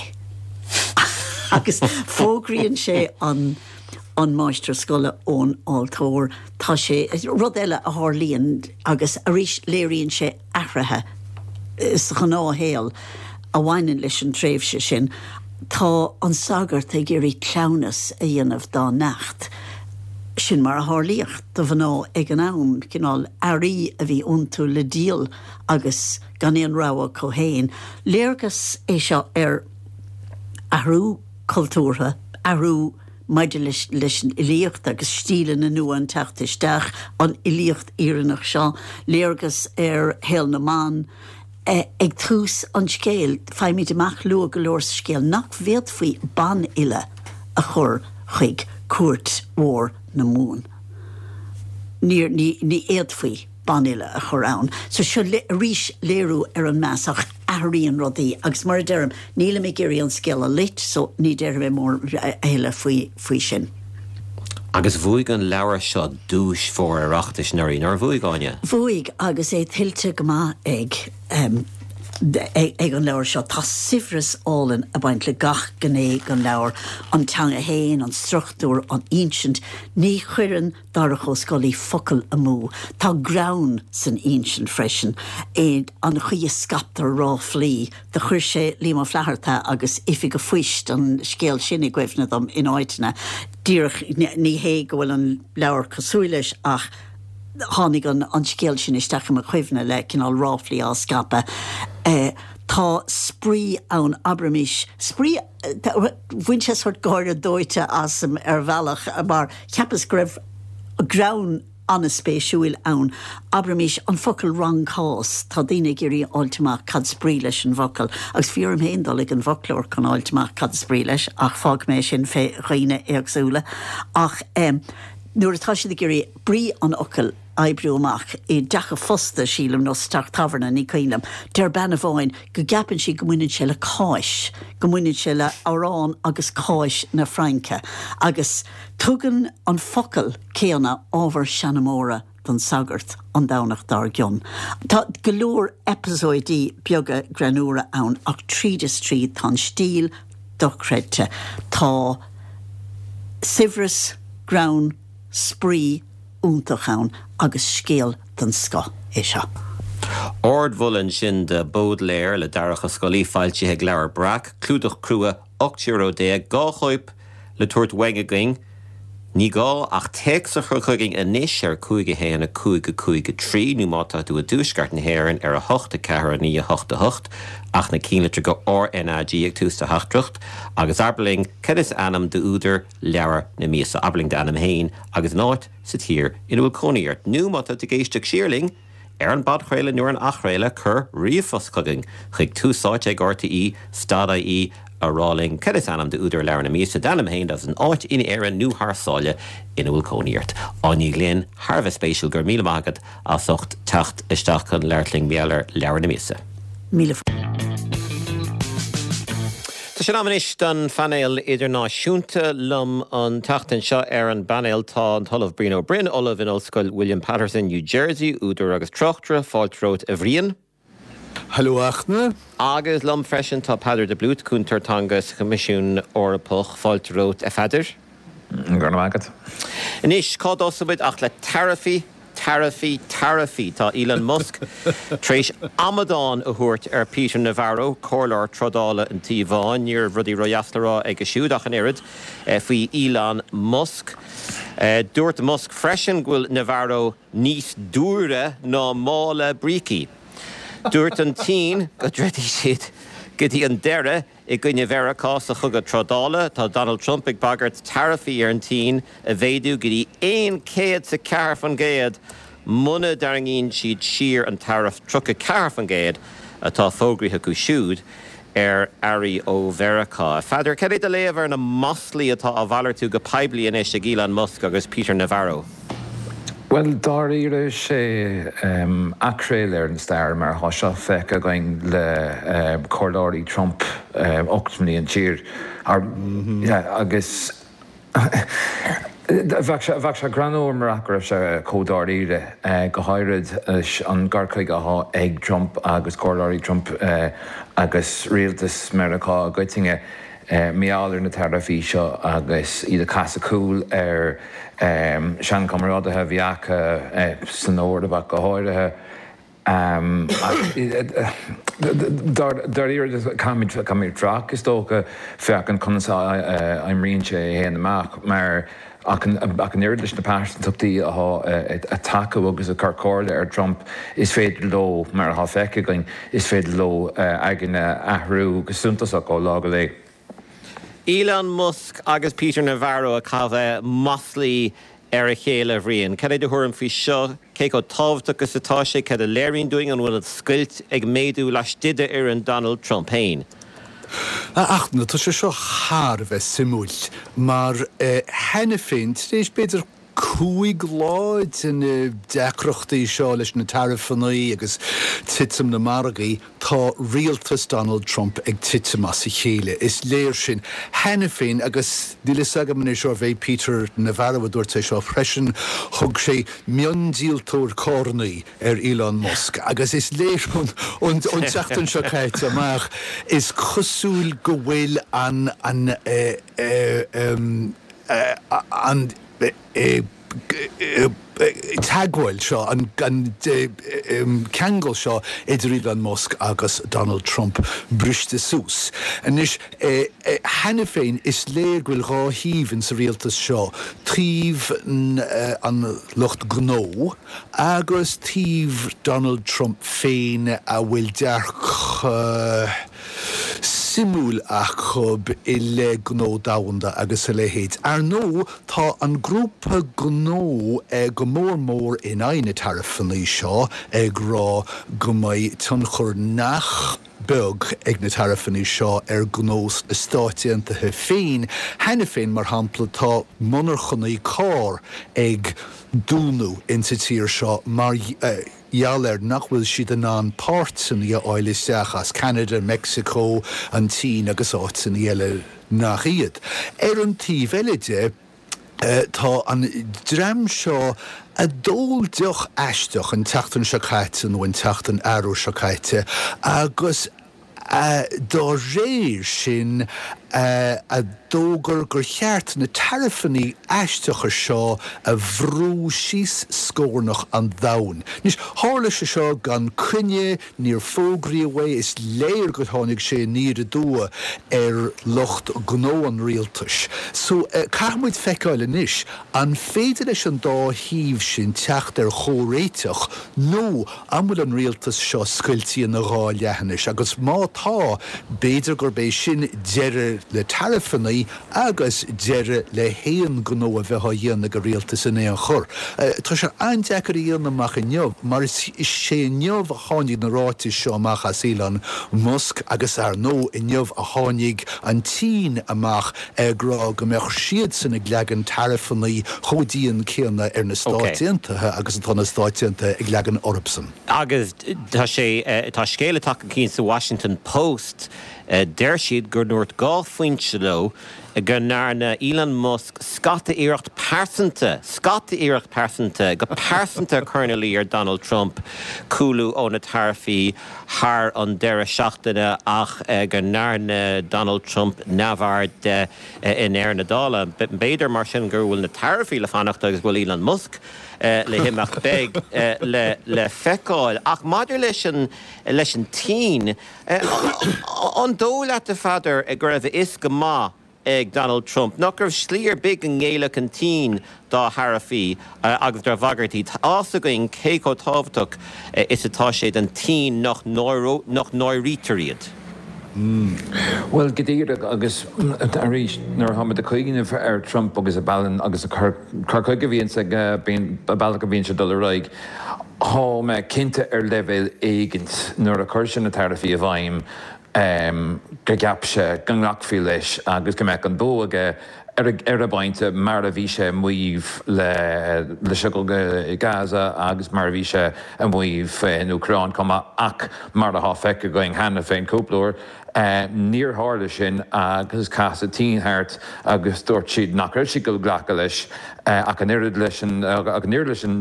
agus fógraíonn sé an an máistir scoile ón altóir. Tá sé, rud eile a tharlaíonn agus arís léiríonn sé athruithe sa ghnáthshaol a bhaineann leis an tréimhse sin, tá an sagart ag iarraidh cleamhnas a dhéanamh dá neacht. Sin mar a tharlaíodh do mhná ag an am, cineál earraí a bhí iontu le díol agus gan aon rogha acu féin. Léargas é seo ar athrú cultúrtha, athrú maidir leis leis an fhilíocht agus stíleanna nua an teacht isteach, an fhilíocht fhírinneach seo, léargas ar shaol na mban. Ag tús an scéil, faighimid amach luath go leor sa scéal nach bhféadfaí banfhile a chur chuig cúirt mhór na Mumhan. Níor, ní, ní fhéadfaí. banfhile a chur ann. So seo arís léiriú ar an meas ach athraíonn rudaí agus mar a deirim, nílim ag iarraidh an scéal a loit so ní déarfaidh mé mórán a thuilleadh faoi faoi sin. Agus bhuaigh an leabhar seo duais mhór Oireachtais anuraidh, nár bhuaigh, Áine? Bhuaigh agus é tuillte go maith ag ag an leabhar seo. Tá saibhreas álainn ag baint le gach gné den leabhar, an teanga fhéin, an struchtúr, an insint. Ní chuireann Darach Ó Scolaí focal amú. Tá greann san insint freisin, an chaoi a scaiptear ráflaí. Do chuir sé Liam Ó Flaithearta agus Oifig a' Phoist, an scéal sin i gcuimhne dom in áiteanna. Díreach, ní hé go bhfuil an leabhar cosúil leis ach tháinig an scéal sin isteach i mo chuimhne le cineál ráflaí á scaipeadh. Tá spraoi ann, abraimis, spraoi, Bhain sé sórt gáire dóite asam ar bhealach mar cheapas go raibh greann an-spéisiúil ann. Abraimis, an focal rancás, tá daoine ag iarraidh a fháilt amach cad is brí leis an bhfocal agus bhí orm féin dul ag an bhfoclóir chun fháilt amach cad is brí leis ach fágfaidh mé sin fé dhaoine éagsúla. Ach nuair atá siad ag iarraidh brí an fhocail oibriú amach i dteach a' phosta, sílim, nó sa teach tábhairne, ní cuimhin liom. Deir bean amháin go gceapann sí go mbaineann sé le cáis, go mbaineann sé le arán agus cáis na Fraince. Agus tugann an focal céanna ábhar seanmóra don sagart an Domhnach dár gcionn. Tá go leor eipeasóidí beaga greannúra ann ach tríd is tríd tá an stíl dochreidte. Tá saibhreas, greann, spraoi, iontach ann agus scéal den scoth é seo. Ardmholadh ansin do Bódléar le Darach Ó Scolaí, foilsithe ag Leabhar Breac, clúdach crua, €18 euro, 2 chóip le tabhairt uainn againn. Ní gá ach téacs a chur chugainn anois ar 5 1 5 5 3 nó má tá tú i dtuaisceart na hÉireann ar 8 4 9 8 8 ach na cinnlitreacha RnaG ag tús do theachtaireacht agus abair linn cad is ainm d'údar leabhar na míosa. Abair linn d'ainm féin agus an áit sa tír ina bhfuil cónaí ort. Nó má tá tú ag éisteacht siar linn ar an bpodchraoladh nó ar an athchraoladh, cuir ríomhphost chugainn chuig túsáite ag rte stad ie a rá linn cad is ainm d'údar leabhar na míosa, d'ainm féin agus an áit in Éirinn nó thar sáile ina bhfuil cónaí ort. Áine Ní Ghlinn, thar a bheith spéisiúil, go raibh míle maith agat as ucht teacht isteach chun labhairt linn mar gheall ar leabhar na míosa. Míle. Tá sé in am anois don phainéal idirnáisiúnta. Liom an tseachtain seo ar an bpainéal tá an tOllamh Brian Ó Broin, Ollamh in Ollscoil William Paterson, New Jersey, údar agus tráchtaire. Fáilte romhat a Bhriain. Hello a Fhachtna. Agus liom freisin tá Peadar de Blúit, Cúntóir Teanga sa Choimisiún Eorpach. Fáilte romhat a Pheadair. Go raibh maith agat. Anois, cá dtosóidh muid ach le taraifí, taraifí, taraifí. Tá Elon Musk tar éis amadán a thabhairt ar Peter Navarro, comhairleoir trádála an Tí Bháin. Ní raibh rudaí ródheas le rá aige siúd ach an oiread faoi Elon Musk. Dúirt Musk freisin go bhfuil Navarro níos dúire ná mála brící. Dúirt an tSín go dtroidfidh siad go dtí an deireadh i gcoinne Mheiriceá sa chogadh trádála. Tá Donald Trump ag bagairt taraifí ar an tSín a mhéadú go dtí 104% muna dtarraingíonn siad siar an taraif 34% atá fógraithe acu siúd ar earraí ó Mheiriceá. A Pheadair, cad é do léamh ar na maslaí atá á mhalartú go poiblí anois ag Elon Musk agus Peter Navarro? Bhuel, dáiríre, is é athchraoladh ar an stair mar atá seo feicthe againn le comhairleoirí Trump 8 mbliana siar agus bheadh sé greannmhar murach go raibh sé chomh dáiríre, go háirid leis an gcur chuige atá ag Trump agus comhairleoirí Trump agus rialtas Meiriceá i gcoitinne. Mar gheall ar na taraifí seo agus iad ag casadh cúl ar seanchomrádaithe a bhí acu san Eoraip ach go háirithe. Ach dáiríre caithfimid fanacht is dócha féachaint conas a oibríonn sé é féin amach mar ach an oiread leis na pearsantachtaí atá ag tacú agus ag cur comhairle ar Trump is féidir leo, mar atá feicthe againn, is féidir leo aigne a athrú go suntasach ó lá go lá. Elon Musk agus Peter Navarro ag caitheamh maslaí ar a chéile, a Bhriain. Cad é do thuairim faoi seo? Cé chomh tábhachtach is atá sé? Cad a léiríonn dúinn? An bhfuil an scoilt ag méadú laistigh d'fhoireann Donald Trump féin? A Fhachtna, tá sé seo thar a bheith suimiúil mar cheana féin, tar éis b'fhéidir 5 lá de na deacrachtaí seo leis na taraifeanna agus titim na margaí, tá rialtas Donald Trump ag titim as a chéile. Is léir sin cheana féin agus níl fhios agam anois arbh é Peter Navarro a dúirt é seo freisin, thug sé miondíoltóir carrannaí ar Elon Musk agus is léir ón tseachtain seo caite amach, is cosúil go bhfuil an an an teagmháil seo, an ceangal seo idir Elon Musk agus Donald Trump briste suas. Anois, cheana féin is léir go bhfuil dhá thaobh insa rialtas seo, taobh an lucht gnó agus taobh Donald Trump féin a bhfuil dearcadh suimiúil acu i leith gnó domhanda agus a leithéid. Ar ndóigh, tá an grúpa gnó go mór mór in aghaidh na taraifeanna seo, ag rá go mbeidh tionchar nach beag ag na taraifeanna seo ar gnó sna Stáit Aontaithe féin. Cheana féin, mar shampla, tá monarchanaí carr ag dúnadh insa tír seo mar gheall air nach bhfuil siad in ann páirteanna a fháil isteach as Ceanada, Meicsiceo, an tSín agus áiteanna eile nach iad. Ar an taobh eile de, tá an dream seo a d'ól deoch aisteach an tseachtain seo caite nó an tseachtain arú seo caite agus dá réir sin a d'fhógair gur cheart na taraifeanna aisteacha seo a bhrú síos scornach an domhain. Anois, tharla sé seo gan coinne, níor fógraíodh é, is léir gur tháinig sé aniar aduaidh ar lucht gnó an rialtais. So, caithfidh muid feiceáil anois, an féidir leis an dá thaobh sin teacht ar chomhréiteach nó An bhfuil an rialtas seo scoilte ina dhá leath anois? Agus má tá, b'fhéidir gurb é sin deireadh le taraifeanna agus deireadh le haon ghnó a bheith á dhéanamh ag an rialtas in aon chor. Tá sé an-deacair a dhéanamh amach inniu, mar is é inniu a tháinig na ráitis seo amach as Elon Musk agus ar ndóigh inniu a tháinig an tSín amach ag rá go mbeadh siadsan ag leagan taraifeanna chomh dian céanna ar na Stáit Aontaithe agus atá na Stáit Aontaithe ag leagan orthusan. Agus tá sé, tá scéal ag teacht chun cinn sa Washington Post. Deir siad go ndúirt 2 foinse leo go ndearna Elon Musk scata iarracht pearsanta, scata iarracht pearsanta, go pearsanta cur ina luí ar Donald Trump cúlú ó na taraifí thar an deireadh seachtaine ach go ndearna Donald Trump neamhaird de i ndeireadh na dála. B'fhéidir mar sin go bhfuil na taraifí le fanacht agus go bhfuil Elon Musk le himeacht. Beidh le feiceáil. Ach maidir leis an leis an tSín, An dóigh leat, a Pheadair, go raibh a fhios go maith ag Donald Trump nach raibh slí ar bith go ngéillfeadh an tSín dá tharaifí agus dá bhagairtí? Tá a fhios againn cé chomh tábhachtach is atá sé don tSín nach náirítear iad. Bhuel, go díreach, agus arís, nuair atáimid ag cuimhneamh ar Trump agus a bhealach agus a cur chuige a bhíonns aige, an bealach a bhíonn sé ag dul ar aghaidh, Thá mé cinnte ar leibhéal éigint nuair a chuir sé na taraifí i bhfeidhm gur cheap sé go nglacfaí leis agus go mbeadh an bua aige ar an bpointe mar a bhí sé ag maíomh leis an gcogadh i Gaza agus mar a bhí sé ag maíomh faoin Úcráin chomh maith ach mar athá feicthe againn cheana féin cúpla uair níor tharla sin agus chas an tSín thart agus dúirt siad nach raibh siad ag dul glacadh leis ach an oiread leis an ach an oiread leis an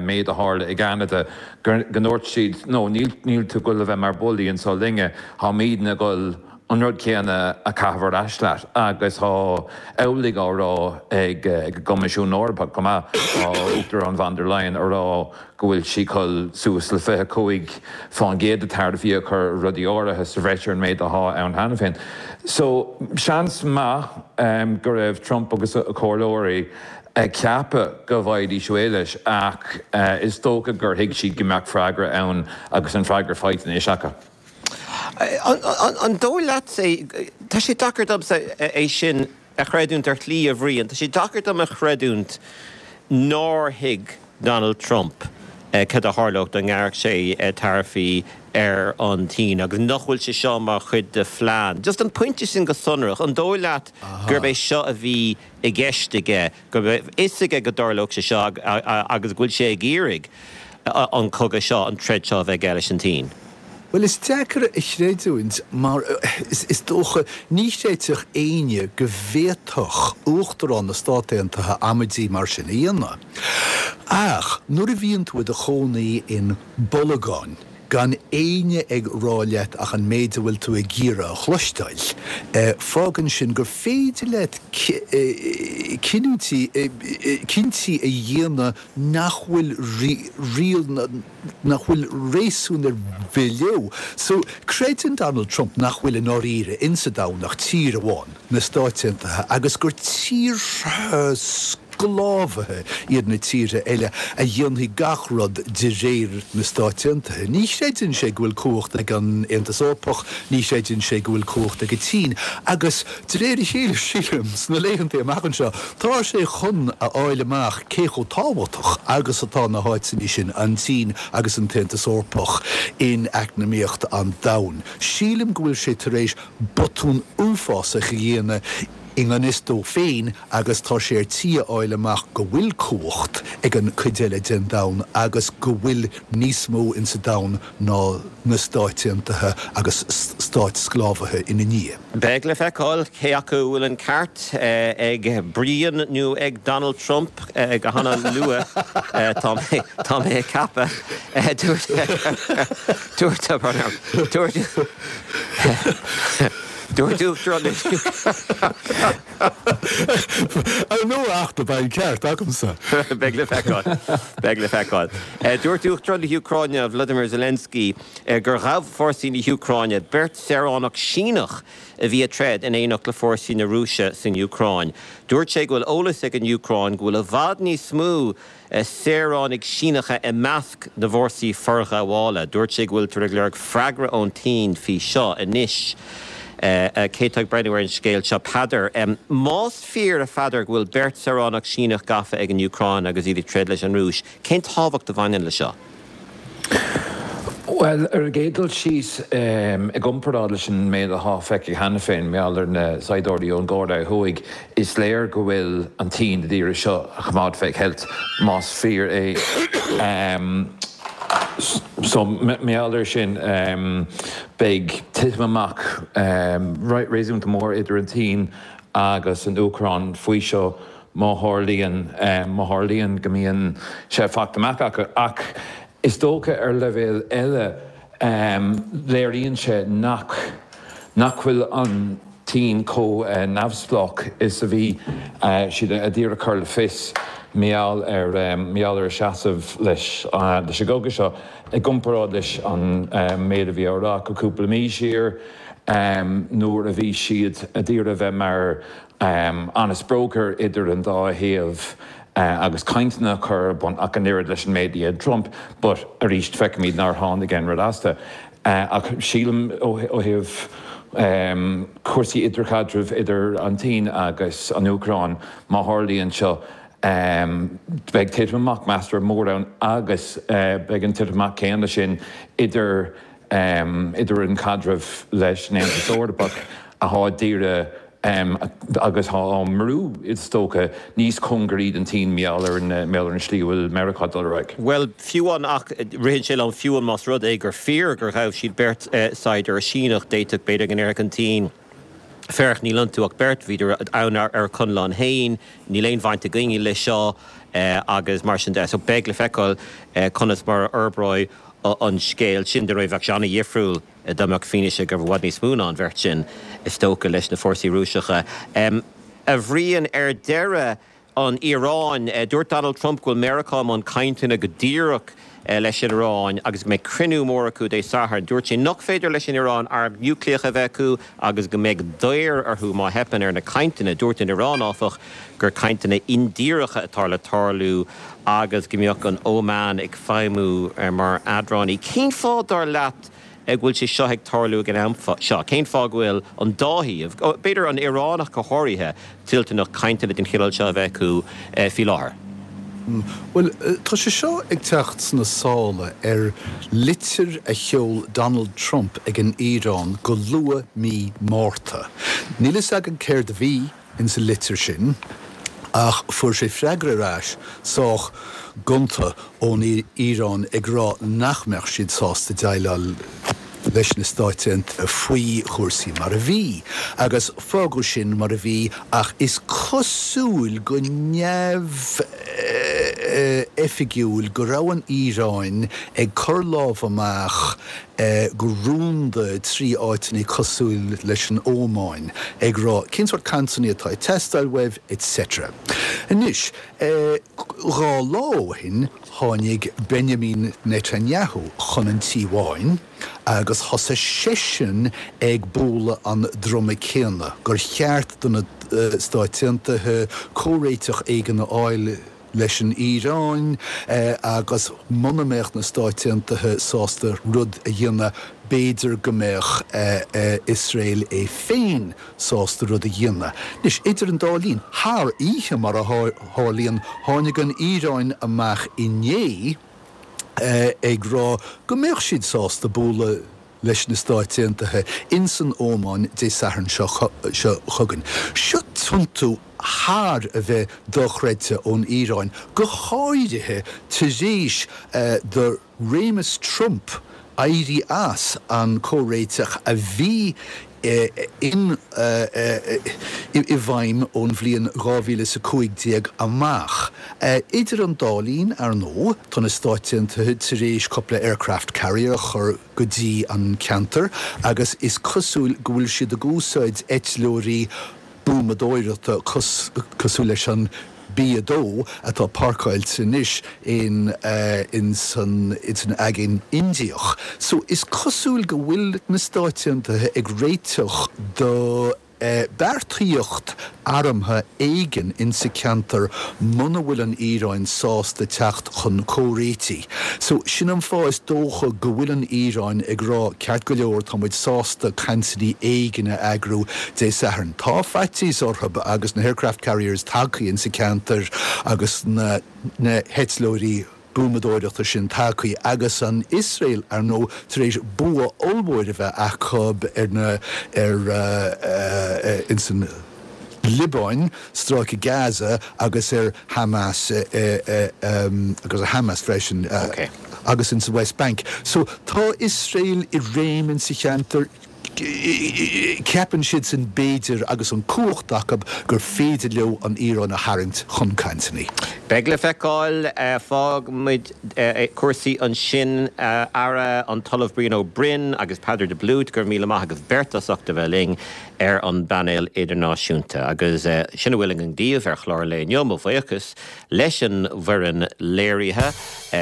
méid a tharla i gCeanada go ndúirt siad no níl níl tú ag dul a bheith mar bully anseo linne, táimidne ag dul an rud céanna a chaitheamh ar ais leat agus tá amhlaidh á rá ag an gCoimisiún Eorpach chomh maith, tá Uachtarán von der Leyen á rá go bhfuil sí ag dul suas le 25% de taraifí a chur ar rudaí áirithe sa bhreis ar an méid athá ann cheana féin. So, seans maith go raibh Trump agus a chomhairleoirí ag ceapadh go bhfaighidís réidh leis ach is dócha gur thuig siad go mbeadh freagra ann agus an freagra faighte anois acu. An dóigh leatsa, tá sé deacair domsa é sin a chreidiúint ar shlí, a Bhriain, tá sé deacair dom a chreidiúint nár thuig Donald Trump cad a tharlódh dá ngearrfadh sé taraifí ar an tSín agus nach bhfuil sé seo mar chuid de phlean. Just an pointe sin go sonrach, an dóigh leat gurb é seo a bhí i gceist aige, go raibh a fhios aige go dtarlódh sé seo agus go bhfuil sé ag iarraidh an cogadh seo, an troid seo a bheith aige leis an tSín. Bhuel, is deacair a chreidiúint mar is dócha, ní chreidfeadh éinne go bhféadfadh Uachtarán na Stát Aontaithe amaidí mar sin a dhéanamh. Ach nuair a bhíonn tú i do chónaí in bolgán, gan éinne ag rá leat ach an méid a bhfuil tú ag iarraidh a chloisteáil, fágann sin gur féidir leat cinniúintí, cinntí a dhéanamh nach bhfuil riail, nach bhfuil réasún ar bith leo. So, creideann Donald Trump nach bhfuil i ndáiríre insa domhan ach tír amháin, na Stáit Aontaithe, agus gur tíortha sclábhaithe iad na tíortha eile a dhéanfaidh gach rud de réir na Stáit Aontaithe. Ní chreideann sé go bhfuil cumhacht ag an Aontas Eorpach, ní chreideann sé go bhfuil cumhacht ag an tSín, agus de réir a chéile, sílim, sna laethanta amach anseo, tá sé chun a fháil amach cé chomh tábhachtach agus atá na háiteanna sin, an tSín agus an tAontas Eorpach, in eacnamaíocht an domhain. Sílim go bhfuil sé tar éis botún uafásach a dhéanamh i ngan fhios dó féin agus tá sé ar tí a fháil amach go bhfuil cumhacht ag an cuid eile den domhan agus go bhfuil níos mó insa domhan ná na Stáit Aontaithe agus stáit sclábhaithe ina ndiaidh. Beidh le feiceáil cé acu a bhfuil an ceart ag Brian nó ag Donald Trump go hana luath, tá mé, tá mé ag ceapadh. Dúirt, dúirt, dúirt, dúirt Uachtarán na. Ar ndóigh ach do beidh an ceart agamsa. Beidh le feiceáil. Beidh le feiceáil. Dúirt Uachtarán na hÚcráine Volodymyr Zelensky gur ghabh fórsaí na hÚcráine beirt saoránach Síneach a bhí ag troid in éineacht le fórsaí na Rúise san Úcráin. Dúirt sé go bhfuil eolas ag an Úcráin go bhfuil i bhfad níos mó saoránaigh Síneacha i measc na bhfórsaí forghabhála. Dúirt sé go bhfuiltear ag lorg freagra ón tSín faoi seo anois. Cé atá ag breathnú ar an scéal seo? Peadar. Más fíor, a Pheadair, go bhfuil beirt saoránach Síneach gafa ag an Úcráin agus iad ag troid leis an Rúis, cén tábhacht a bhaineann le seo? Bhuel, ar an gcéad dul síos, i gcomparáid leis an méid atá feicthe cheana féin mar gheall ar na saighdiúirí ón gCóiré Thuaidh, is léir go bhfuil an tSín ag iarraidh seo a choimeád fé cheilt, más fíor é. So, mar gheall air sin, beidh titim amach réasúnta mór idir an tSín agus an Úcráin faoi seo má tharlaíonn, má tharlaíonn go mbíonn sé faighte amach acu. Ach is dócha ar leibhéal eile, léiríonn sé nach, nach bhfuil an tSín chomh neamhspleách is a bhí siad a d'iarraidh cur le fios mar gheall ar, mar gheall ar a seasamh leis, leis an gcogadh seo i gcomparáid leis an méid a bhí á rá acu cúpla mí siar nuair a bhí siad a d'iarraidh a bheith mar honest broker idir an dá thaobh agus cainteanna a chur ar bun ach an oiread leis an méid a dhein Trump but arís feicimid nár tháinig aon rud astu. Ach sílim ó thaobh cúrsaí idirchaidrimh idir an tSín agus an Úcráin, má tharlaíonn seo, beidh titim amach measartha mór ann agus beidh an titim amach céanna sin idir idir an caidreamh leis an Aontas Eorpach atá d'iarraidh agus tá á mbrú, is dócha, níos cóngaraí don tSín mar gheall ar an, mar gheall ar an slí a bhfuil Meiriceá ag dul ar aghaidh. Bhuel, fiú amháin, ach ritheann sé liom, fiú amháin más rud é gur fíor gur ghabh siad beirt saighdiúir Síneach, d'fhéadfadh, b'fhéidir, go ndéarfadh an tSín, Féach, níl iontu ach beirt, bhíodar ann ar a conlán féin, níl aon bhaint againne leis seo, agus mar sin de. So beidh le feiceáil conas mar a fhorbróidh an scéal sin. Dar ndóigh, bheadh sé an-dhifriúil. Dá mbeadh fianaise go raibh i bhfad níos mó ná an bheirt sin, is dócha, leis na fórsaí Rúiseacha. A Bhriain, ar deireadh, an Iaráin. Dúirt Donald Trump go bhfuil Meiriceá i mbun cainteanna go díreach leis an Iaráin agus go mbeidh cruinniú mór acu Dé Sathairn. Dúirt sé nach féidir leis an Iaráin arm núicléach a bheith acu agus go mbeidh daor orthu má theipeann ar na cainteanna. Dúirt an Iaráin, áfach, gur cainteanna indíreacha atá le tarlú agus go mbeadh an Óman ag feidhmiú mar eadránaí. Cén fáth, dar leat, go bhfuil sé seo ag tarlú ag an am seo? Cén fáth go bhfuil an dá thaobh, b'fhéidir an Iaráin ach go háirithe, toilteanach cainteanna den chineál seo a bheith acu faoi láthair? Bhuel, tá sé seo ag teacht sna sála ar litir a sheol Donald Trump ag an Iaráin go luath mí Márta. Níl fhios againn céard a bhí insa litir sin, ach fuair sé freagra ar ais sách gonta ón Iaráin ag rá nach mbeadh siad sásta déileáil leis na Stáit Aontaithe faoi chúrsaí mar a bhí. Agus fágadh sin mar a bhí ach is cosúil go neamhoifigiúil go raibh an Iaráin ag cur lámh amach go rúnda trí áiteanna cosúil leis an Ómáin, ag rá cén sórt cainteanna atá ag teastáil uaibh, etc. Anois, 2 lá ó shin, tháinig Benjamin Netanyahu chun an Tí Bháin agus thosaigh seisean ag bualadh an druma céanna, gur cheart do na Stáit Aontaithe comhréiteach éigin a fháil leis an Iaráin agus muna mbeadh na Stáit Aontaithe sásta rud a dhéanamh, b'fhéidir go mbeadh Iosrael é féin sásta rud a dhéanamh. Anois, idir an dá linn, thar oíche mar a tharlaíonn, tháinig an Iaráin amach inné ag rá go mbeadh siad sásta bualadh leis na Stáit Aontaithe ins an Ómáin Dé Sathairn seo chugainn. Seo tiontú thar a bheith dochreidte ón Iaráin, go háirithe tar éis do réimeas Trump éirí as an comhréiteach a bhí in i bhfeidhm ón bhliain 2015 amach. Idir an dá linn, ar ndóigh, tá na Stáit Aontaithe tar éis cúpla aircraft carrier a chur go dtí an ceantar agus is cosúil go bhfuil siad ag úsáid eitleoirí buamadóireachta cosúil leis an B-2 atá páirceáilte anois in ins an Aigéan Indiach. So is cosúil go bhfuil na Stáit Aontaithe ag réiteach do beartaíocht armtha éigin insa ceantar muna bhfuil an Iaráin sásta teacht chun comhréitigh. So sin an fáth is dócha go bhfuil an Iaráin ag rá ceart go leor tá muid sásta cainteanna éigin a eagrú Dé Sathairn. Tá faitíos orthu agus na aircraft carriers tagtha insa ceantar agus na na heitleoirí buamadóireachta sin tagtha agus an Iosrael ar ndóigh tar éis bua ollmhór a bheith acu ar na ar ins an Liobáin, Stráice Gaza agus ar Hamas agus ar Hamas freisin. agus insa West Bank. So tá Iosrael i réim insa cheantar, ceapann siadsan b'fhéidir agus an cumhacht acu gur féidir leo an Iaráin a tharraingt chun cainteanna. Beidh le feiceáil. Fágfaimid cúrsaí ansin. Ara, an tOllamh Brian Ó Broin agus Peadar de Blúit, go raibh míle maith agaibh beirt as ucht a bheith linn ar an bpainéal idirnáisiúnta. Agus sin a bhfuil againn daoibh ar chlár an lae inniu. Mo bhuíochas leis an bhfoireann léirithe.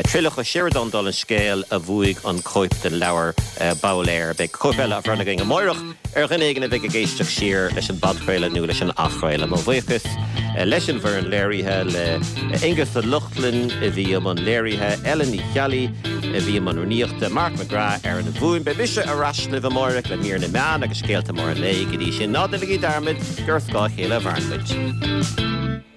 Traolach Ó Seireadáin dála an scéil a bhuaigh an cóip den leabhar Ball Air. Beidh cóip eile á bhronnadh againn amáireach ar dhuine éigin a bheidh ag éisteacht siar leis an bpodchraoladh nó leis an athchraoladh. Mo bhuíochas leis an bhfoireann léirithe, le Aonghus Ó Lochlainn a bhí i mbun léirithe, Ellen Ní Cheallaigh a bhí i mbun rúnaíochta, Mark McGrath ar an bhfuaim. Beidh mise ar ais libh amáireach le mír na meán agus scéalta móra an lae. Go dtí sin, ná déanaigí dearmad gur ar scáth a chéile a mhaireann muid.